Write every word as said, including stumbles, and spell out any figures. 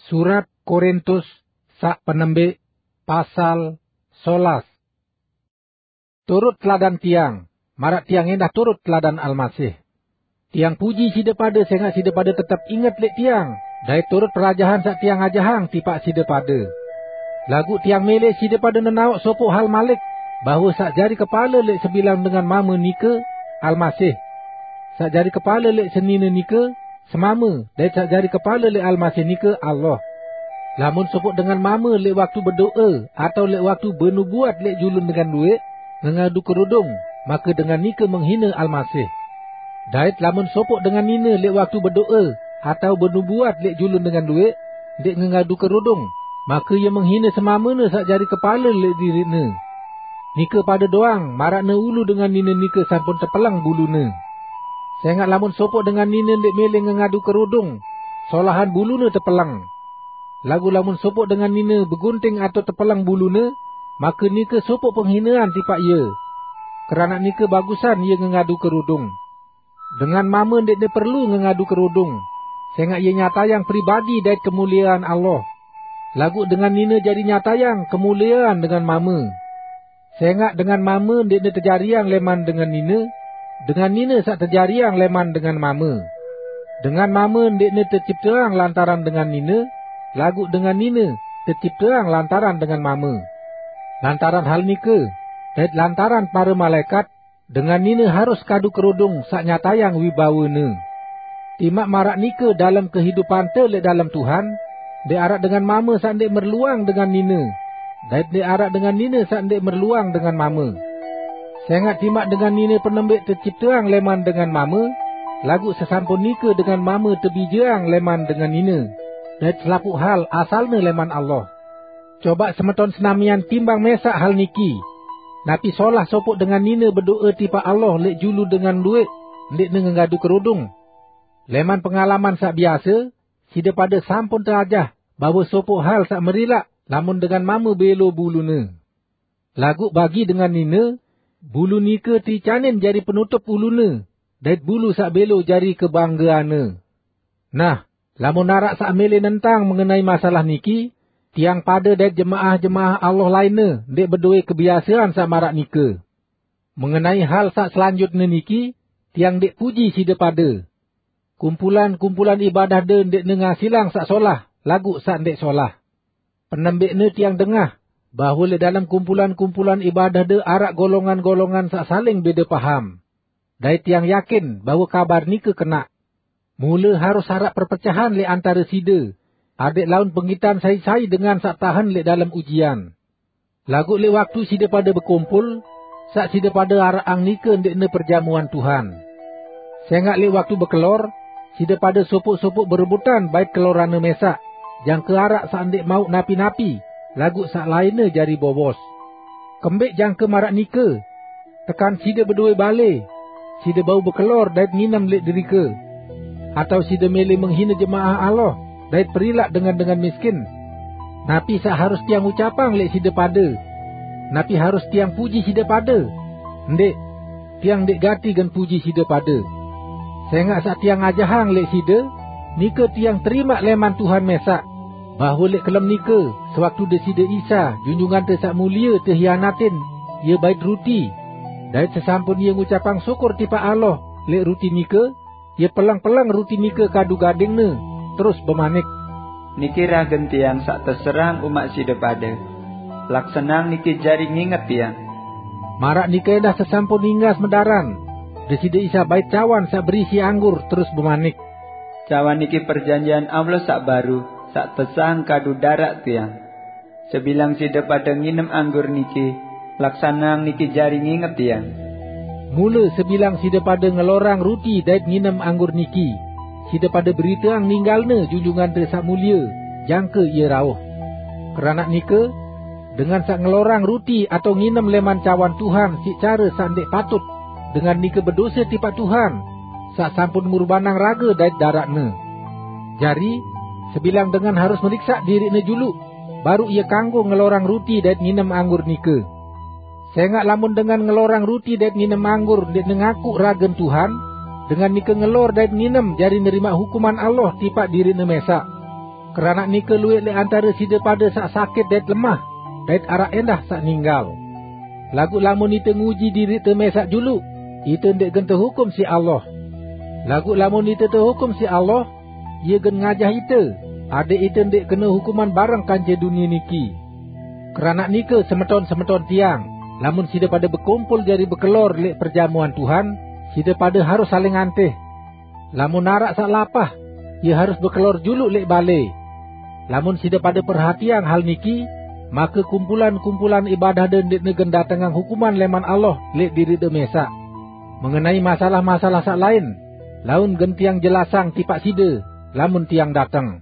Surat Korintus saq penembik, pasal solas. Turut teladan tiang, maraq tiang endah turut teladan Almasih. Tiang puji side pade sengaq side pade tetep inget leq tiang, dait turut perajahan saq tiang ajahang tipaq side pade. Laguq tiang mele side pade nenaoq sopoq hal malik, bahwe saq jari kepale leq sebilang dengan mame nike Almasih. Saq jari kepale leq senine nike semame, dait saq jari kepale leq Almasih nike Allah. Lamun sopoq dengan mame leq waktu bedo'e atao leq waktu benubuat leq julun dengan lueq ngengadu kerudung, make dengan nike menghine Almasih. Dait lamun sopoq dengan nine leq waktu bedo'e atao benubuat leq julun dengan lueq ndeq ngengadu kerudung, make ie menghine semamene saq jari kepale leq diriqne. Nike pade doang maraqne ulu dengan nine nike sampun tepeleng bulune. Sengaq lamun sopoq dengan nine ndeq mele ngengadu kerudung, solahan bulune tepeleng. Laguq lamun sopoq dengan nine begunting atao tepeleng bulune, make nike sopoq penghinean tipaq ie. Keranaq nike bagusan ie ngengadu kerudung. Dengan mame ndeqne perlu ngengadu kerudung, sengaq ie nyatayang pribadi dait kemuliean Allah. Laguq dengan nine jari nyatayang kemuliean dengan mame. Sengaq dengan mame ndeqne tejariang leman dengan nine, dengan nine saq tejariang leman dengan mame. Dengan mame ndeqne tecipteang lantaran dengan nine, laguq dengan nine tecipteang lantaran dengan mame. Lantaran hal nike, dait lantaran pare malaekat, dengan nine harus kadu kerudung saq nyatayang wibawene. Timaq maraq nike dalem kehidupante leq dalem Tuhan, ndeq araq dengan mame saq ndeq merluang dengan nine, dait ndeq araq dengan nine saq ndeq merluang dengan mame. Sengaq timaq dengan nine penembik tecipteang leman dengan mame, laguq sesampun nike dengan mame tebijeang leman dengan nine, dait selapuq hal asalne leman Allah. Cobaq semeton senamian timbang mesaq hal niki. Napi solah sopoq dengan nine bedo'e tipaq Allah leq julu dengan lueq ndeqne ngengadu kerudung? Leman pengalaman saq biase, side pade sampun teajah bahwe sopoq hal saq merilaq lamun dengan mame belo bulune. Laguq bagi dengan nine, bulu nike teicanin jari penutup ulune, dait bulu saq belo jari kebanggeanne. Nah, lamun araq saq mele nentang mengenai masalah niki, tiang pade dait jemaah-jemaah Allah lainne ndeq bedoe kebiasean saq maraq nike. Mengenai hal saq selanjutne niki, tiang ndeq puji side pade. Kumpulan-kumpulan ibadahde ndeqne ngasilang saq solah, laguq saq ndeq solah. Penembikne tiang dengah bahwe leq dalem kumpulan-kumpulan ibadahde araq golongan-golongan saq saling bede paham. Dait tiang yakin bahwe kabar nike kenaq. Mule harus araq perpecahan leq antare side, adeq laun penggitan sai-sai dengan saq tahen leq dalem ujian. Laguq leq waktu side pade bekumpul, saq side pade araqang nike ndeqne perjamuan Tuhan. Sengaq leq waktu bekelor, side pade sopoq-sopoq berebutan bait keloranne mesaq, jangke araq saq ndeq mauq napi-napi, laguq saq lainne jari bowos. Kembeq jangke maraq nike? Tekan side bedoe bale, side bau bekelor dait nginem leq derike? Atao side mele menghine jemaah Allah dait perilaq dengan-dengan miskin? Napi saq harus tiang ucapang leq side pade? Napi harus tiang puji side pade? Ndeq, tiang ndeq gati gen puji side pade. Sengaq saq tiang ajahang leq side, nike tiang terimaq leman Tuhan mesaq, bahwe leq kelem nike, sewaktu Deside Isa, Junjungante Saq Mulie, tehianatin, Ie bait ruti, dait sesampun Ie ngucapang syukur tipaq Allah leq ruti nike, Ie peleng-peleng ruti nike kadu gadingne, terus bemanik, "Niki ragen Tiang saq teserahang umaq side pade. Laksaneang niki jari nginget Tiang." Maraq nike endah sesampun inggas medaran, Deside Isa bait cawan saq berisi anggur, terus bemanik, "Cawan niki perjanjian Allah saq baru, saq tesahang kadu daraq Tiang. Sebilang side pade nginem anggur niki, laksaneang niki jari nginget Tiang." Mule sebilang side pade ngelorang ruti dait nginem anggur niki, side pade beriteang ninggalne Junjungante Saq Mulie, jangke Ie rauh. Keranaq nike, dengan saq ngelorang ruti atao nginem leman cawan Tuhan siq care saq ndeq patut, dengan nike bedose tipaq Tuhan, saq sampun ngurbanang rage dait daraq-Ne. Jari, sebilang dengan harus meriksaq diriqne juluq, baruq ie kanggo ngelorang ruti dait nginem anggur nike. Sengaq lamun dengan ngelorang ruti dait nginem anggur ndeqne ngakuq ragen Tuhan, dengan nike ngelor dait nginem jari nerimaq hukuman Allah tipaq diriqne mesaq. Keranaq nike luwẽq lẽq antare side pade saq sakit dait lemah, dait araq ẽndah saq ninggal. Laguq lamun ite nguji diriqte mẽsaq juluq, ite ndẽq gen tehukum siq Allah. Laguq lamun ite tehukum siq Allah, Ie gen ngajah ite, adẽq ite ndẽq kene hukuman bareng kance dunie niki. Keranaq nike, semeton-semeton tiang, lamun side pade bekumpul jari bekelor lẽq perjamuan Tuhan, side pade harus saling antih. Lamun araq saq lapah, ie harus bekelor juluq lẽq balẽ. Lamun side pade perhatiang hal niki, make kumpulan-kumpulan ibadahde ndẽqne gen datengang hukuman lẽman Allah lẽq diriqde mẽsaq. Mengenai masalah-masalah saq lain, laun gen tiang jelasang tipaq side, lamun tiang dateng.